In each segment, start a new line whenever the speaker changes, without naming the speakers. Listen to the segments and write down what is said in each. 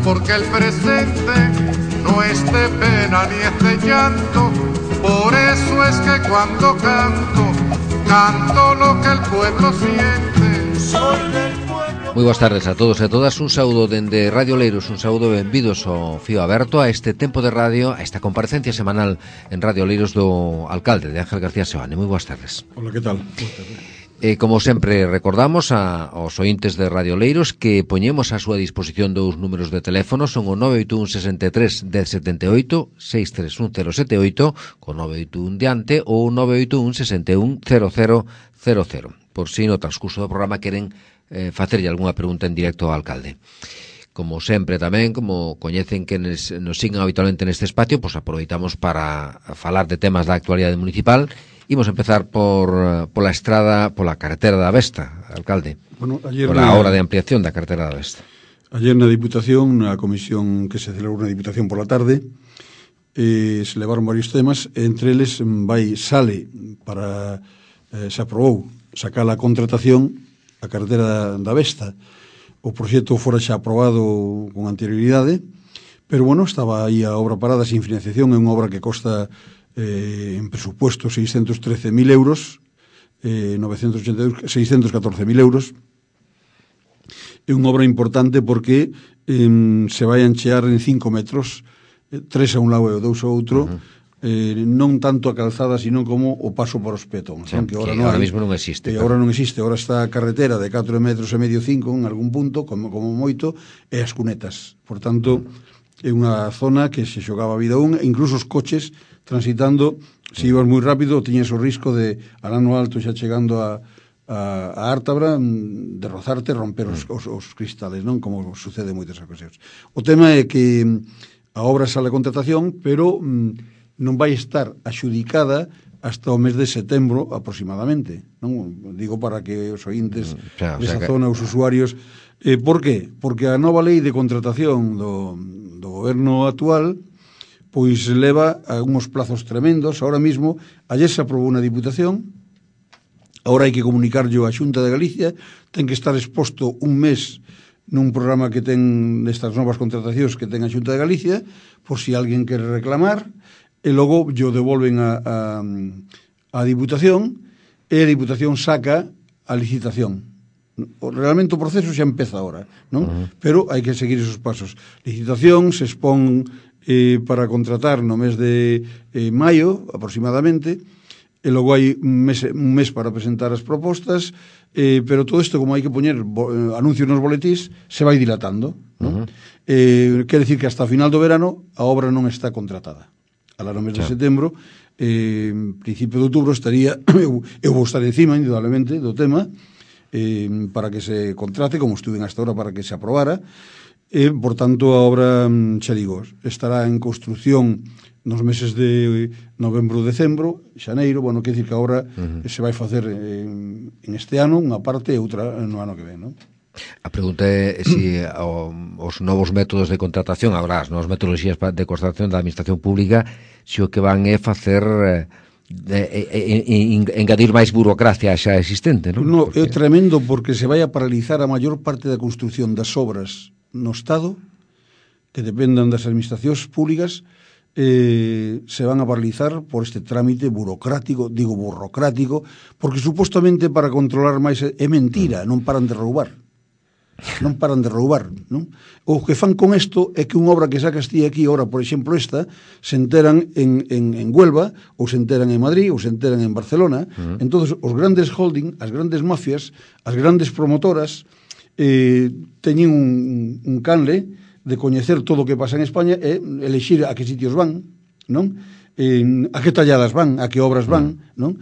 porque el presente no es de pena ni es de llanto. Por eso es que cuando canto, canto lo que el pueblo siente. Soy del pueblo.
Moi boas tardes a todos e a todas. Un saúdo dende Radio Oleiros, un saúdo benvidos ao Fío Aberto, a este tempo de radio, a esta comparecencia semanal en Radio Oleiros do alcalde de Ángel García Seoane. Moi boas tardes.
Hola, que tal?
Como sempre recordamos aos ointes de Radio Oleiros que poñemos a súa disposición dous números de teléfono, son o 981 63 1078, 631 078 con 981 diante ou 981 61 0000, por si no transcurso do programa queren facerlle algunha pregunta en directo ao alcalde. Como sempre tamén, como coñecen que nos siguen habitualmente neste espacio, pois aproveitamos para falar de temas da actualidade municipal. Imos empezar pola estrada, pola carretera da Vesta, alcalde.
Bueno, ayer
pola obra de ampliación da carretera da Vesta.
Ayer na Diputación, na comisión que se celebrou na Diputación pola tarde, se levaron varios temas, entre eles sale para se aprobou sacar a contratación a carretera da Vesta. O proxecto fora xa aprobado con anterioridade, pero bueno, estaba aí a obra parada sin financiación. É unha obra que costa en presupuesto 613.000 euros, 614.000 euros. É unha obra importante porque se vai anchear en 5 metros, 3 a un lado e 2 ao outro, non tanto a calzada, sino como o paso para os petóns,
sí,
que
ahora mismo non existe.
Agora non existe, agora está a carretera de 4 metros e medio, 5 en algún punto, como moito, e as cunetas. Por tanto, é unha zona que se xogaba a vida e incluso os coches transitando, se ibas moi rápido, tiñes o risco de, alá no alto, xa chegando a Ártabra, de rozarte e romper os cristales, non? Como sucede en moitas ocasións. O tema é que a obra sale a contratación, pero non vai estar axudicada hasta o mes de setembro aproximadamente, non? Digo para que os ointes desa zona, os usuarios. Por qué? Porque a nova lei de contratación do goberno actual pois leva a uns plazos tremendos. Ahora mismo, ayer se aprobou na Diputación, agora hai que comunicarlo á Xunta de Galicia, ten que estar exposto un mes nun programa que ten nestas novas contratacións que ten a Xunta de Galicia, por si alguén quere reclamar, e logo yo devolven a Diputación, e a Diputación saca a licitación. Realmente o proceso xa empeza agora, non? Pero hai que seguir esos pasos. Licitación se expón para contratar no mes de maio, aproximadamente, e logo hai un mes para presentar as propostas, pero todo isto, como hai que poñer anuncios nos boletís, se vai dilatando, non? Quer decir que hasta a final do verano a obra non está contratada. Alá no mes de setembro, principio de outubro, estaría, eu vou estar encima, indudablemente, do tema, para que se contrate, como estuve hasta ahora, para que se aprobara. Por tanto, a obra, xa digo, estará en construción nos meses de novembro, decembro, xaneiro. Bueno, quer dicir que a obra se vai facer en este ano unha parte e outra no ano que ven, non?
A pregunta é se os novos métodos de contratación, agora as novas metodoloxías de contratación da administración pública, se o que van é facer engadir máis burocracia xa existente, non?
No, é tremendo, porque se vai a paralizar a maior parte da construción das obras no Estado, que dependan das administracións públicas, se van a paralizar por este trámite burocrático, digo burocrático, porque supostamente para controlar máis é mentira, non paran de roubar. Non paran de roubar, non? O que fan con isto é que unha obra que sacas ti aquí, ora, por exemplo, esta, se enteran en Huelva, ou se enteran en Madrid, ou se enteran en Barcelona. Entonces, os grandes holding, as grandes mafias, as grandes promotoras, teñen un canle de coñecer todo o que pasa en España e elexir a que sitios van, non? A que talladas van, a que obras van, non?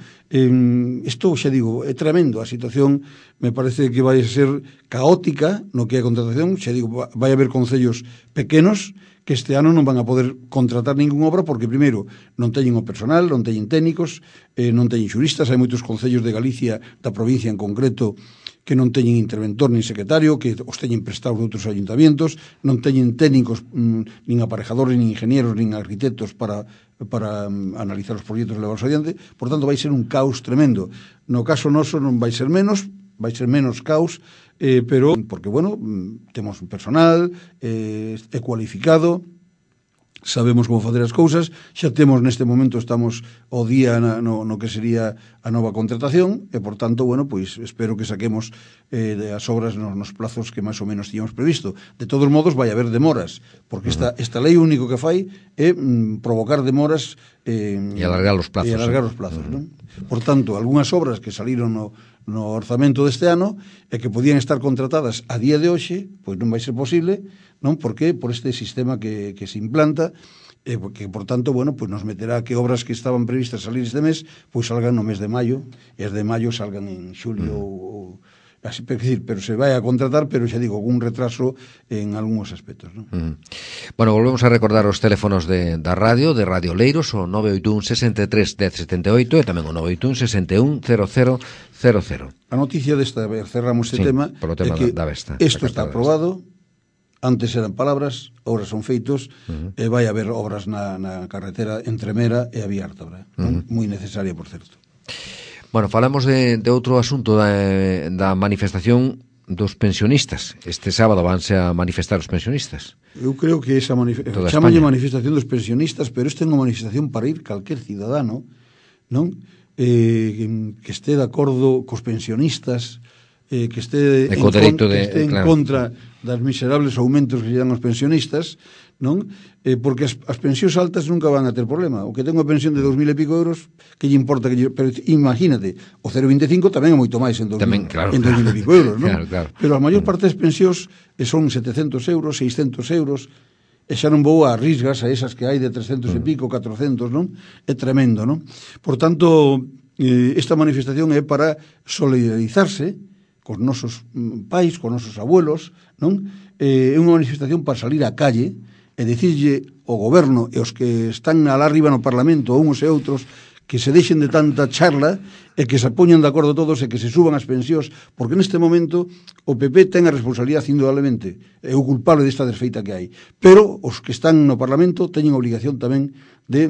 Isto, xa digo, é tremendo. A situación me parece que vai ser caótica no que é a contratación. Xa digo, vai haber concellos pequenos que este ano non van a poder contratar ninguna obra porque, primeiro, non teñen o personal, non teñen técnicos, non teñen xuristas. Hai moitos concellos de Galicia, da provincia en concreto, que non teñen interventor nin secretario, que os teñen prestados de outros ayuntamientos, non teñen técnicos, nin aparejadores, nin ingenieros, nin arquitectos para analizar os proxectos e levarlos adiante. Por tanto, vai ser un caos tremendo. No caso noso non vai ser menos, vai ser menos caos, pero porque, bueno, temos un personal, é cualificado, sabemos como facer as cousas, xa temos neste momento, estamos ao día no que sería a nova contratación e, por tanto, bueno, pois espero que saquemos as obras nos plazos que máis ou menos tíamos previsto. De todos modos, vai haber demoras, porque esta lei o único que fai é provocar demoras
e alargar os plazos.
Non? Por tanto, algunhas obras que saliron no orzamento deste ano e que podían estar contratadas a día de hoxe, pois non vai ser posible, non? Porque por este sistema que se implanta, que, por tanto, bueno, pois nos meterá que obras que estaban previstas salir este mes, pois salgan no mes de maio, e as de maio salgan en xulio ou así, pero se vai a contratar, pero xa digo, un retraso en algúns aspectos, non?
Bueno, volvemos a recordar os teléfonos da radio, de Radio Leiros, o 981 63 1078 e tamén o 981 61 0000.
A noticia desta, cerramos este tema,
é que
isto está aprobado, antes eran palabras, ahora son feitos, e vai haber obras na carretera entre Mera e a Vía Ártabra, moi necesaria, por certo.
Bueno, falamos de outro asunto da manifestación dos pensionistas. Este sábado vanse a manifestar os pensionistas.
Eu creo que esa chamalle manifestación dos pensionistas, pero esta é unha manifestación para ir calquer cidadano, non? Que este de acordo cos pensionistas, que este en contra das miserables aumentos que lle dan os pensionistas, non? Porque as pensións altas nunca van a ter problema. O que ten unha pensión de 2.000 e pico euros, que lle importa pero imagínate, o 0,25 tamén é moito máis en 2.000 e pico euros, non?
Claro.
Pero a maior parte das pensións son 700 euros, 600 euros, e xa non vou a risgas a esas que hai de 300 e pico, 400, non? É tremendo, non? Por tanto, esta manifestación é para solidarizarse cos nosos pais, cos nosos abuelos, non? É unha manifestación para salir á calle e dicirlle ao goberno e os que están alá arriba no Parlamento, uns e outros, que se deixen de tanta charla e que se poñan de acordo todos e que se suban as pensións, porque neste momento o PP ten a responsabilidade indudablemente, é o culpable desta desfeita que hai, pero os que están no Parlamento teñen obligación tamén de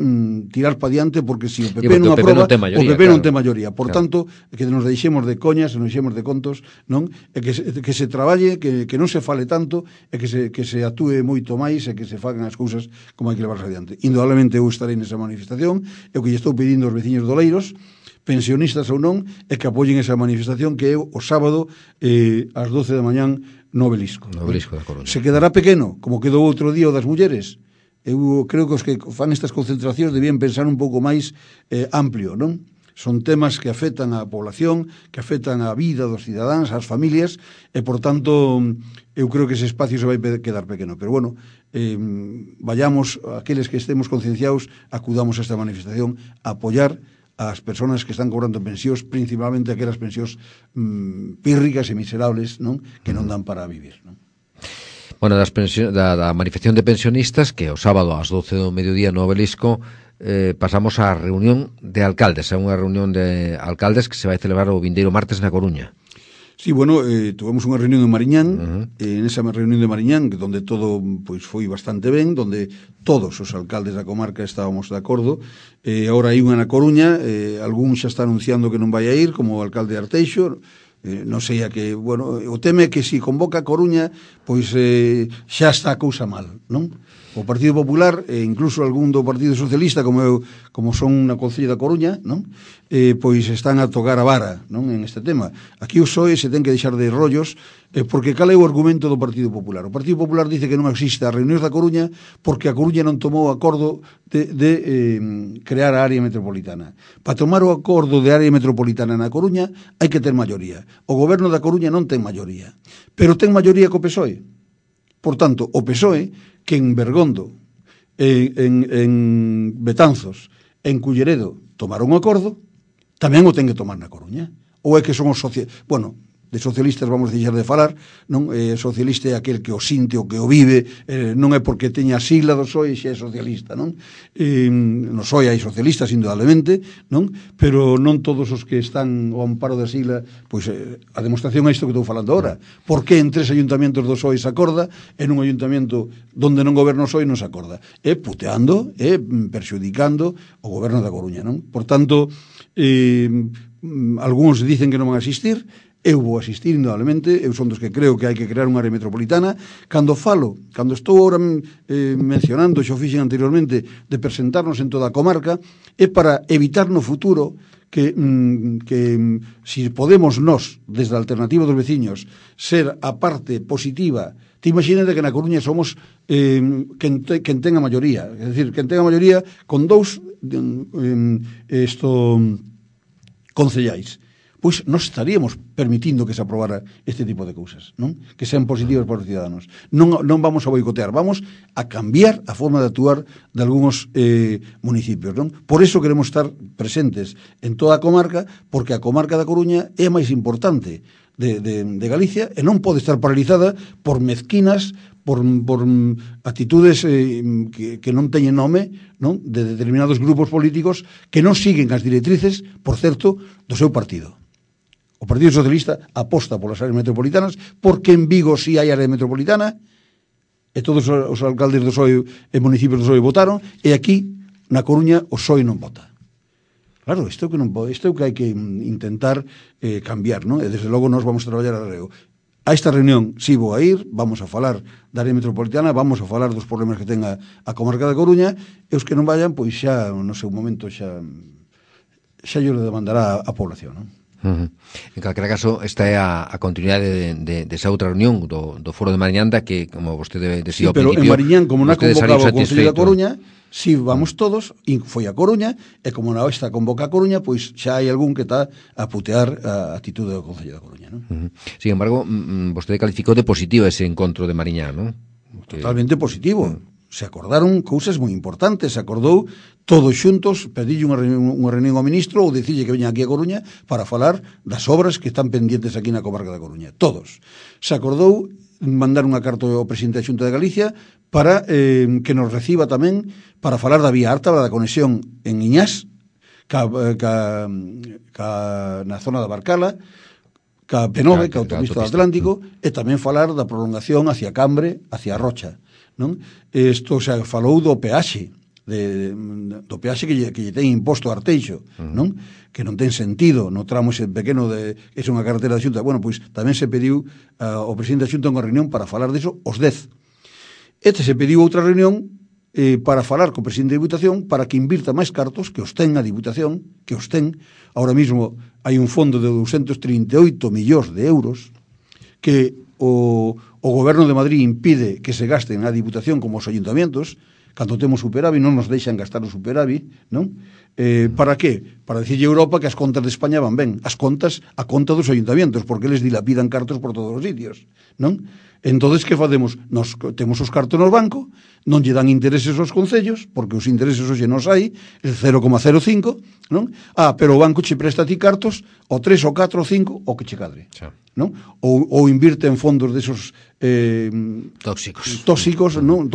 tirar pa diante, porque se o PP non aproba, o PP non ten maioría. Por tanto, que nos deixemos de coñas, nos deixemos de contos, non? E que se traballe, que non se fale tanto, e que se actúe moito máis, e que se fagan as cousas como hai que levarse adiante. Indudablemente eu estarei nesa manifestación, e o que lle estou pedindo aos veciños do Leiros, pensionistas ou non, é que apoyen esa manifestación que é o sábado ás 12 da mañán no Obelisco.
No Obelisco da Coruña.
Se quedará pequeno, como quedou outro día o das mulleres. Eu creo que os que fan estas concentracións debían pensar un pouco máis amplio, non? Son temas que afectan á población, que afectan á vida dos cidadáns, ás familias, e, por tanto, eu creo que ese espacio se vai quedar pequeno. Pero, bueno, vayamos, aqueles que estemos concienciados, acudamos a esta manifestación a apoiar as persoas que están cobrando pensións, principalmente aquelas pensións pírricas e miserables, non? Que non dan para vivir, non?
Bueno, da manifestación de pensionistas, que o sábado ás 12 do mediodía no Obelisco, pasamos á reunión de alcaldes, a unha reunión de alcaldes que se vai celebrar o vindeiro martes na Coruña.
Sí, bueno, tuvemos unha reunión en Mariñán, en esa reunión de Mariñán, donde todo pois foi bastante ben, donde todos os alcaldes da comarca estábamos de acordo. Agora hai unha na Coruña, algún xa está anunciando que non vai a ir, como o alcalde de Arteixo. Non sei a que, bueno, o teme que se convoca a Coruña, pois xa está a cousa mal, non? O Partido Popular, e incluso algún do Partido Socialista, como son na Concello da Coruña, non? Pois están a tocar a vara, non, en este tema. Aquí o PSOE se ten que deixar de rollos, porque cal é o argumento do Partido Popular? O Partido Popular dice que non existe as reunións da Coruña porque a Coruña non tomou acordo de crear a área metropolitana. Para tomar o acordo de área metropolitana na Coruña hai que ter maioría. O goberno da Coruña non ten maioría, pero ten maioría co PSOE. Por tanto, o PSOE, que en Bergondo, en Betanzos, en Culleredo tomaron un acordo, tamén o ten que tomar na Coruña. Ou é que son os bueno, de socialistas vamos deixar de falar, non? Socialista é aquel que o sinte, o que o vive, non é porque teña a sigla do PSOE xe é socialista, non? No PSOE hai socialistas, indudablemente, non? Pero non todos os que están ao amparo da sigla, pois a demostración é isto que estou falando agora. Por que en 3 ayuntamientos do PSOE se acorda e nun ayuntamento donde non goberna o PSOE non se acorda? É puteando, é perxudicando o goberno da Coruña, non? Por tanto, algúns dicen que non van a existir, eu vou asistir indudablemente, eu son dos que creo que hai que crear unha área metropolitana. Cando estou ahora mencionando, xo fixen anteriormente, de presentarnos en toda a comarca, é para evitar no futuro que si podemos nós, desde a alternativa dos veciños, ser a parte positiva. Te imagínate que na Coruña somos quen ten a maioría, é dicir, quen ten a maioría con 2 concellais. Pois nós estaríamos permitindo que se aprobara este tipo de cousas, non? Que sean positivas para os ciudadanos. Non vamos a boicotear, vamos a cambiar a forma de actuar de algúns municipios, non? Por eso queremos estar presentes en toda a comarca, porque a comarca da Coruña é a máis importante de Galicia e non pode estar paralizada por mezquinas, por actitudes que non teñen nome, non? De determinados grupos políticos que non siguen as directrices, por certo, do seu partido. O Partido Socialista aposta polas áreas metropolitanas, porque en Vigo si hai área metropolitana, e todos os alcaldes do PSOE e municipios do PSOE votaron, e aquí, na Coruña, o PSOE non vota. Claro, isto é o que hai que intentar cambiar, non? E desde logo nós vamos a traballar arreo. A esta reunión si vou a ir, vamos a falar da área metropolitana, vamos a falar dos problemas que ten a comarca da Coruña, e os que non vayan, pois xa, no seu momento, xa lle demandará a población, non?
En calquera caso, esta é a continuidade desa outra reunión do Foro de Mariñanda que, como vostede decía ao principio...
Pero en Mariñán, como non convocaba o Concello da Coruña, si vamos todos, foi a Coruña, e como non está convoca a Coruña, pois xa hai algún que está a putear a actitude do Concello da Coruña, non?
Sin embargo, vostede calificou de positivo ese encontro de Mariñán, non?
Totalmente positivo. Se acordaron cousas moi importantes, se acordou todos xuntos, pedille unha reunión ao ministro ou dicille que veña aquí a Coruña para falar das obras que están pendientes aquí na comarca da Coruña. Todos. Se acordou mandar unha carta ao presidente da Xunta de Galicia para que nos reciba tamén para falar da vía alta, da conexión en Iñás, na zona da Barcala, ca Penove, ca autopista do Atlántico, e tamén falar da prolongación hacia Cambre, hacia Rocha, non? Isto se falou do peaxe, do peaxe que lle ten imposto a Arteixo, non? Que non ten sentido no tramo ese pequeno é unha carretera da Xunta. Bueno, pois tamén se pediu ao presidente da Xunta unha reunión para falar diso os 10. Se pediu outra reunión para falar co presidente da Diputación para que invirta máis cartos que os ten a Diputación, que os ten. Ahora mismo hai un fondo de 238 millóns de euros que o goberno de Madrid impide que se gasten a Diputación como os ayuntamientos. Cando temos superávit non nos deixan gastar o superávit, non? Para que? Para dicirlle a Europa que as contas de España van ben. As contas, a conta dos ayuntamientos, porque eles dilapidan cartos por todos os sitios, non? Entonces, que facemos? Nos temos os cartos no banco, non lle dan intereses aos concellos, porque os intereses hoxe non hai, el 0,05, non? Pero o banco che presta a ti cartos, o 3, o 4, o 5, o que che cadre, non? Ou invirte en fondos desos tóxicos non,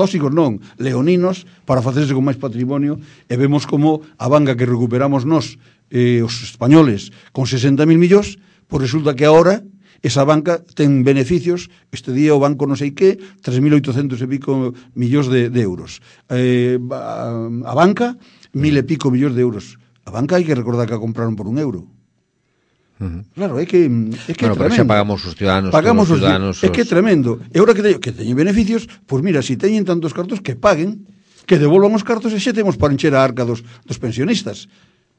leoninos, para facerse con máis patrimonio, e vemos como a banca que recuperamos nós, os españoles, con 60.000 millóns, pois resulta que agora esa banca ten beneficios, este día o banco non sei que, 3.800 e pico millóns de euros. A banca, 1.000 e pico millóns de euros. A banca hai que recordar que a compraron por €1. Claro, é que
bueno, pero xa pagamos os ciudadanos,
é que é tremendo. E agora que teñen beneficios, pois mira, se teñen tantos cartos que paguen, que devolvan os cartos e xa temos para encher a arca dos pensionistas,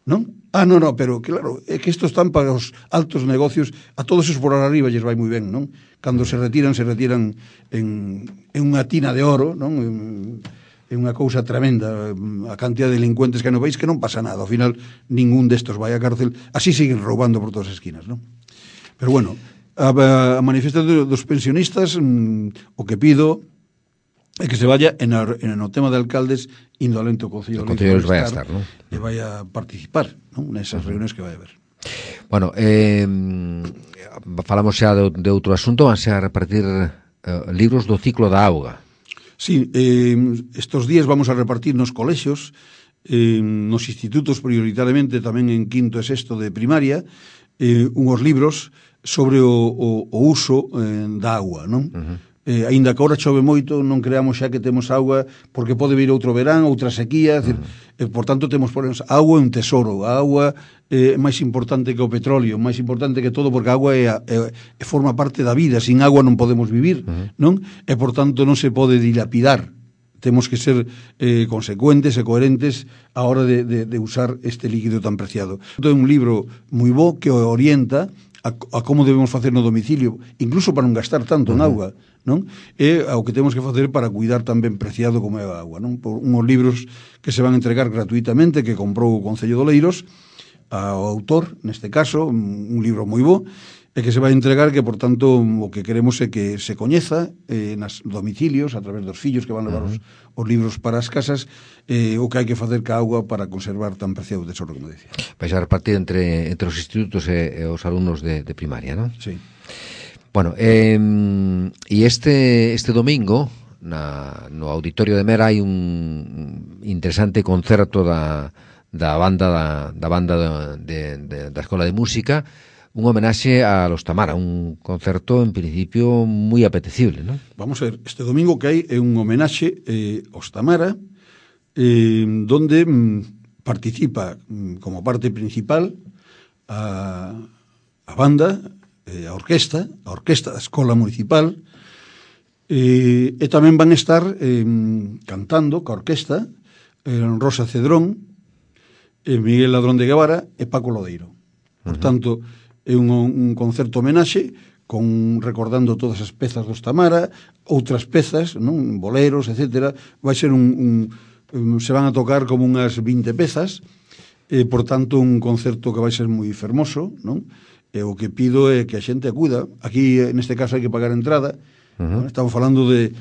non? Non, pero claro, é que isto están para os altos negocios, a todos esos por arriba lles vai moi ben, non? Cando se retiran en unha tina de oro, non? É unha cousa tremenda a cantidad de delincuentes que hai no país, que non pasa nada, ao final ningún destos vai a cárcel, así siguen roubando por todas as esquinas, non? Pero bueno, a manifestación dos pensionistas, o que pido é que se vaya no tema de alcaldes indolente o Concello
de vai a estar, non?
E vai a participar, non? Nesas reunións que vai a haber.
Bueno, falamos xa de outro asunto, van a repartir libros do ciclo da auga.
Sí, estos días vamos a repartir nos colexios, nos institutos prioritariamente, tamén en quinto e sexto de primaria, unhos libros sobre o uso da auga, non? Aínda que agora chove moito, non creamos xa que temos auga, porque pode vir outro verán, outra sequía, por tanto temos por exemplo, a auga é un tesoro, a auga é máis importante que o petróleo, máis importante que todo, porque a auga forma parte da vida, sin agua non podemos vivir, non? E por tanto non se pode dilapidar. Temos que ser consecuentes e coherentes a hora de usar este líquido tan preciado. É un libro moi bo que orienta a como debemos facer no domicilio, incluso para non gastar tanto en auga, non? E ao que temos que facer para cuidar tan ben preciado como é a auga, non? Por unhos libros que se van a entregar gratuitamente, que comprou o Concello de Oleiros, ao autor, neste caso, un libro moi bo, e que se vai entregar, que, por tanto, o que queremos é que se coñeza nas domicilios, a través dos fillos que van levar os libros para as casas, o que hai que facer ca auga para conservar tan preciado tesoro, como decía.
Vais a repartir entre os institutos e os alumnos de primaria, non?
Sí.
Bueno, e este domingo, no Auditorio de Mera, hai un interesante concerto da banda da Escola de Música, un homenaxe a Los Tamara, un concerto en principio moi apetecible, non?
Vamos a ver, este domingo que hai é un homenaxe aos Tamara, donde participa como parte principal a banda, a orquesta da Escola Municipal, e tamén van estar cantando ca orquesta Rosa Cedrón, Miguel Ladrón de Guevara e Paco Lodeiro. Por tanto, é un concerto homenaxe recordando todas as pezas dos Tamara, outras pezas, non, boleros, etcétera. Vai ser se van a tocar como unhas 20 pezas, por tanto un concerto que vai ser moi fermoso, non? E o que pido é que a xente acuda. Aquí, neste caso, hai que pagar entrada. Estamos falando de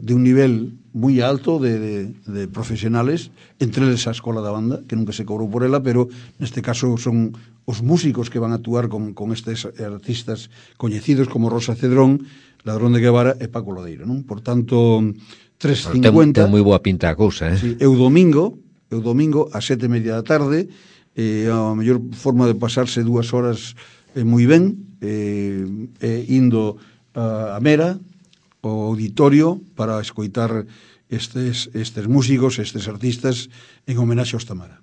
un nivel moi alto de profesionales, entre eles a Escola da Banda, que nunca se cobrou por ela, pero neste caso son os músicos que van a actuar con estes artistas coñecidos como Rosa Cedrón, Ladrón de Guevara e Paco Lodeiro, non? Por tanto, 3.50...
Ten moi boa pinta a cousa,
Sí, é o domingo a 7:30 da tarde, a mellor forma de pasarse 2 horas moi ben, indo a Mera, o auditorio, para escoitar estes músicos, estes artistas en homenaxe aos Tamara.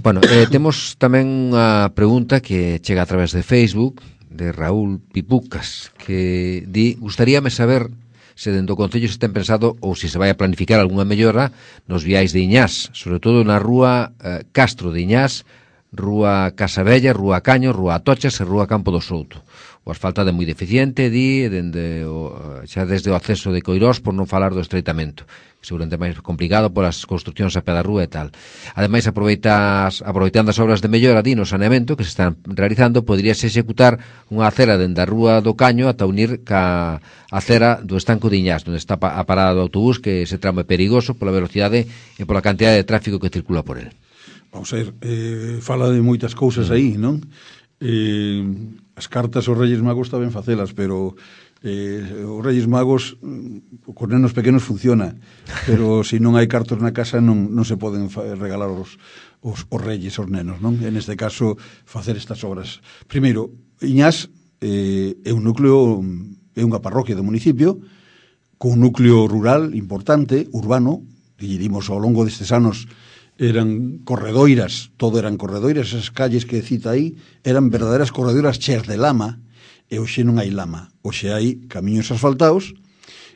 Bueno, temos tamén unha pregunta que chega a través de Facebook de Raúl Pipucas, que di: gustaríame saber se dentro do Concello se ten pensado ou se vai a planificar algunha mellora nos viais de Iñás, sobre todo na rúa Castro de Iñás, rúa Casabella, rúa Caño, rúa Atochas e rúa Campo do Souto. O asfaltado é moi deficiente, xa desde o acceso de Coirós, por non falar do estreitamento, seguramente máis complicado polas construccións a pé da rúa e tal. Ademais, aproveitando as obras de mellora no saneamento que se están realizando, poderíase executar unha acera dende a rúa do Caño ata unir ca acera do estanco de Iñás, onde está a parada do autobús, que ese tramo é perigoso pola velocidade e pola cantidad de tráfico que circula por el.
Vamos a ver, fala de moitas cousas aí, non? As cartas aos Reyes Magos está ben facelas, pero os Reyes Magos cos nenos pequenos funciona, pero se non hai cartos na casa non se poden regalar os Reyes aos nenos, non? En este caso, facer estas obras. Primeiro, Iñás é un núcleo, é unha parroquia do municipio, con un núcleo rural importante, urbano, que dimos ao longo destes anos eran corredoiras, todo eran corredoiras, esas calles que cita aí eran verdaderas corredoiras cheas de lama, e hoxe non hai lama, hoxe hai camiños asfaltados,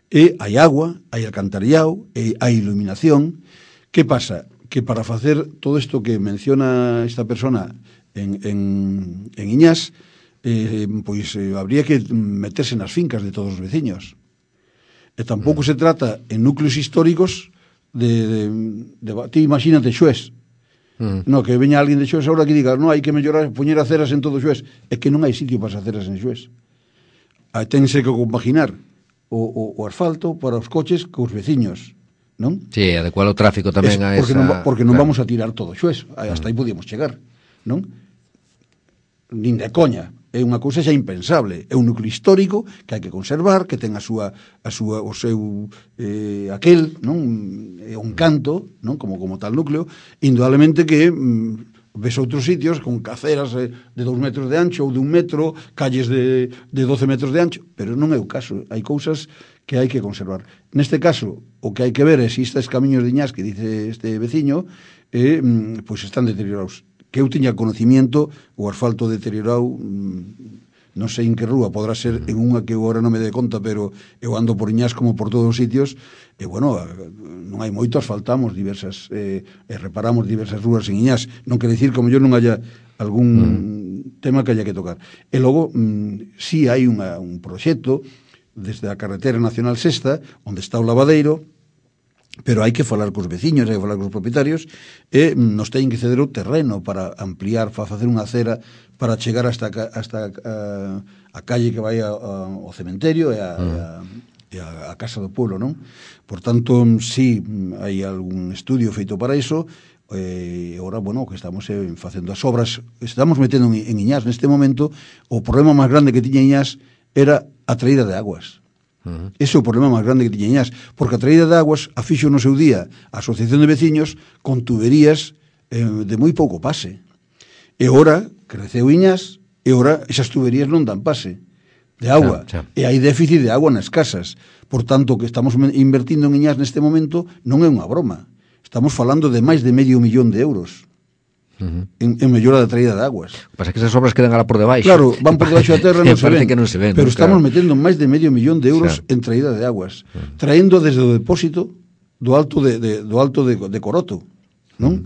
e hai agua, hai alcantarillado, e hai iluminación. Que pasa? Que para facer todo isto que menciona esta persona en Iñás, habría que meterse nas fincas de todos os veciños. E tampouco se trata en núcleos históricos ti imagínate Xués, no, que veña alguén de Xués agora que diga, no, hai que mellorar, poñer aceras en todo Xués, é que non hai sitio para as aceras en Xués. Tense que compaginar o asfalto para os coches cos veciños, non?
Sí, adecuar o tráfico tamén a esa...
Porque non vamos a tirar todo Xués, hasta aí podíamos chegar, non? Nin de coña. É unha cousa xa impensable. É un núcleo histórico que hai que conservar, que ten o seu aquel, non? É un canto, non? Como tal núcleo. Indudablemente que ves outros sitios con caceras de 2 metros de ancho ou de 1 metro, calles de 12 metros de ancho, pero non é o caso. Hai cousas que hai que conservar. Neste caso, o que hai que ver é se estes camiños de Iñás que dice este veciño pois están deteriorados. Que eu tiña conocimiento, o asfalto deteriorado, non sei en que rúa, podrá ser en unha que eu agora non me dé conta, pero eu ando por Iñás como por todos os sitios, e bueno, non hai moito, asfaltamos diversas, reparamos diversas rúas en Iñás. Non quere dicir que como yo non haya algún tema que haya que tocar. E logo, si hai un proxecto desde a carretera nacional sexta, onde está o lavadeiro, pero hai que falar cos veciños, hai que falar cos propietarios, e nos teñen que ceder o terreno para ampliar, para facer unha acera para chegar hasta a calle que vai ao cementerio e a casa do pueblo, non? Por tanto, si hai algún estudio feito para iso, e agora, bueno, que estamos facendo as obras, estamos metendo en Iñás neste momento. O problema máis grande que tiña Iñás era a traída de aguas. Ese é o problema máis grande que tiña Iñás, porque a traída de aguas a fixo no seu día a Asociación de Veciños con tuberías de moi pouco pase. E ora creceu Iñás, e ora esas tuberías non dan pase de agua, e hai déficit de agua nas casas. Por tanto, que estamos invertindo en Iñás neste momento non é unha broma. Estamos falando de máis de €500,000 en mellora da traída de aguas.
O que pasa é que esas obras quedan alá por debaixo.
Claro, van por debaixo da terra, non se ven.
Que non se ven,
pero
¿no?
Estamos metendo máis de €500,000 en traída de aguas, traendo desde o depósito do alto de Coroto, non?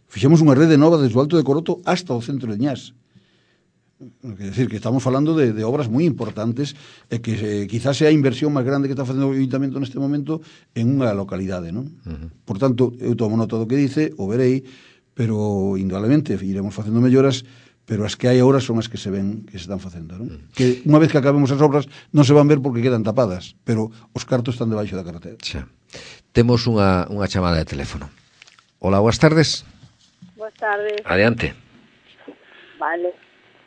Fixemos unha rede nova desde o alto de Coroto hasta o centro de Iñás. Quer decir, que estamos falando de obras moi importantes, e que quizás sea a inversión máis grande que está facendo o Ayuntamiento neste momento en unha localidade, non? Por tanto, eu tomo nota do que dice, o verei, pero indudablemente iremos facendo melloras, pero as que hai agora son as que se ven que se están facendo, non? Que unha vez que acabemos as obras non se van ver porque quedan tapadas, pero os cartos están debaixo da carretera.
Xa. Temos unha chamada de teléfono. Hola, boas tardes.
Boas tardes.
Adiante.
Vale.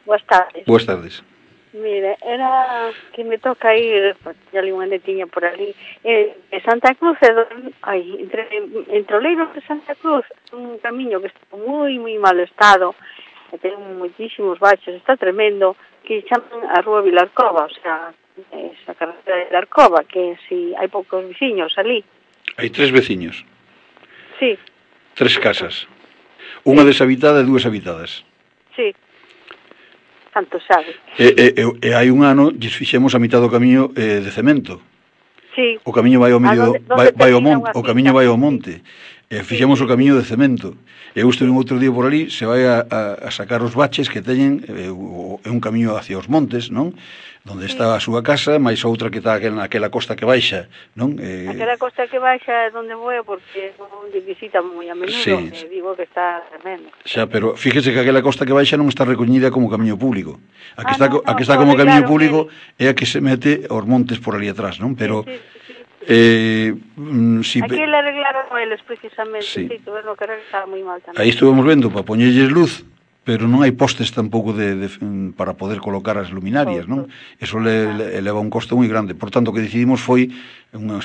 Boas tardes.
Boas tardes.
Mire, era que me toca ir, ya li unha netiña por ali, Santa Cruz, entre Oleiros de Santa Cruz, un camiño que está moi, moi mal estado, e ten moitísimos baixos, está tremendo, que chaman a Rúa Vilarcova, o sea, esa carretera de Vilarcova, que si hai poucos veciños ali.
Hai 3 veciños.
Sí.
3 casas. Unha deshabitada e 2 habitadas.
Sí. Tanto sabe.
E hai un ano lles fixemos a mitad do camiño de cemento.
Sí.
O camiño vai ao medio, vai ao monte, o camiño vai ao monte. Fixemos o camiño de cemento. E eu estive un outro día por ali, se vai a sacar os baches que teñen, é un camiño hacia os montes, non? Donde está a súa casa, máis outra que está naquela costa que baixa, non?
Aquela costa que baixa é onde vou, porque onde visita moi a menudo,
sí.
Digo que está tremendo.
Xa, pero fíjese que aquela costa que baixa non está recoñida como camiño público. A que está
no,
como camiño
claro,
público é a que se mete aos montes por ali atrás, non? Pero
si aquí le arreglaron eles precisamente, sí, tuveron que arreglar moi mal tamén.
Aí estuvemos vendo para poñerlles luz, pero non hai postes tampouco para poder colocar as luminarias, non? Eso leva un costo moi grande. Por tanto, o que decidimos foi,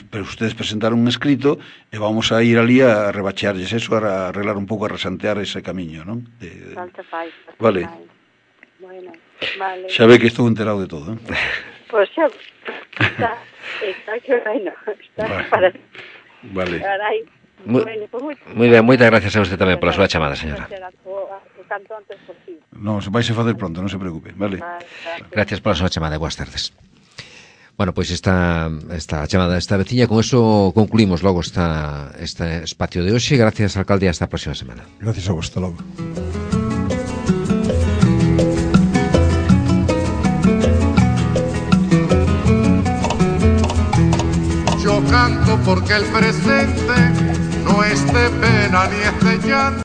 pero ustedes presentaron un escrito, e vamos a ir ali a rebachearlles eso, a arreglar un pouco, a resantear ese camiño, non? Vale.
Bueno, vale.
Xa ve que estou enterado de todo,
Pois xa, está que bueno, está para...
Vale.
Moi ben, moitas gracias a usted tamén pola súa chamada, señora.
Non, se vais a facer pronto, non se preocupe, vale.
Gracias pola súa chamada e boas tardes. Bueno, pois esta chamada desta veciña, con eso concluímos logo este espacio de hoxe. Gracias, alcalde, hasta a próxima semana.
Gracias a vos, hasta logo.
Yo canto porque el presente no es de pena ni es de llanto.